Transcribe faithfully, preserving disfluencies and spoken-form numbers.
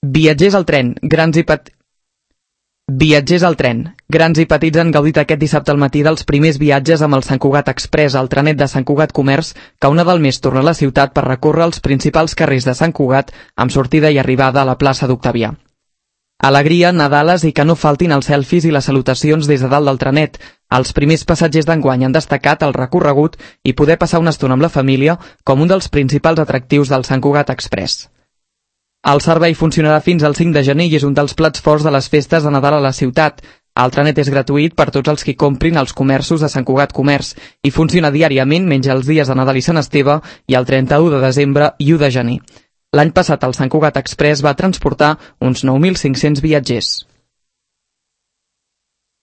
Viatgers al tren, grans i petits... Viatgers al tren. Grans i petits han gaudit aquest dissabte al matí dels primers viatges amb el Sant Cugat Express, el trenet de Sant Cugat Comerç, que una del mes torna a la ciutat per recórrer els principals carrers de Sant Cugat amb sortida i arribada a la plaça d'Octavià. Alegria, nadales i que no faltin els selfies i les salutacions des de dalt del trenet. Els primers passatgers d'enguany han destacat el recorregut i poder passar una estona amb la família com un dels principals atractius del Sant Cugat Express. El servei funcionarà fins al cinc de gener i és un dels plats forts de les festes de Nadal a la ciutat. El trenet és gratuït per tots els que comprin als comerços de Sant Cugat Comerç i funciona diàriament menys els dies de Nadal i Sant Esteve i el trenta-u de desembre i u de gener. L'any passat el Sant Cugat Express va transportar uns nou mil cinc-cents viatgers.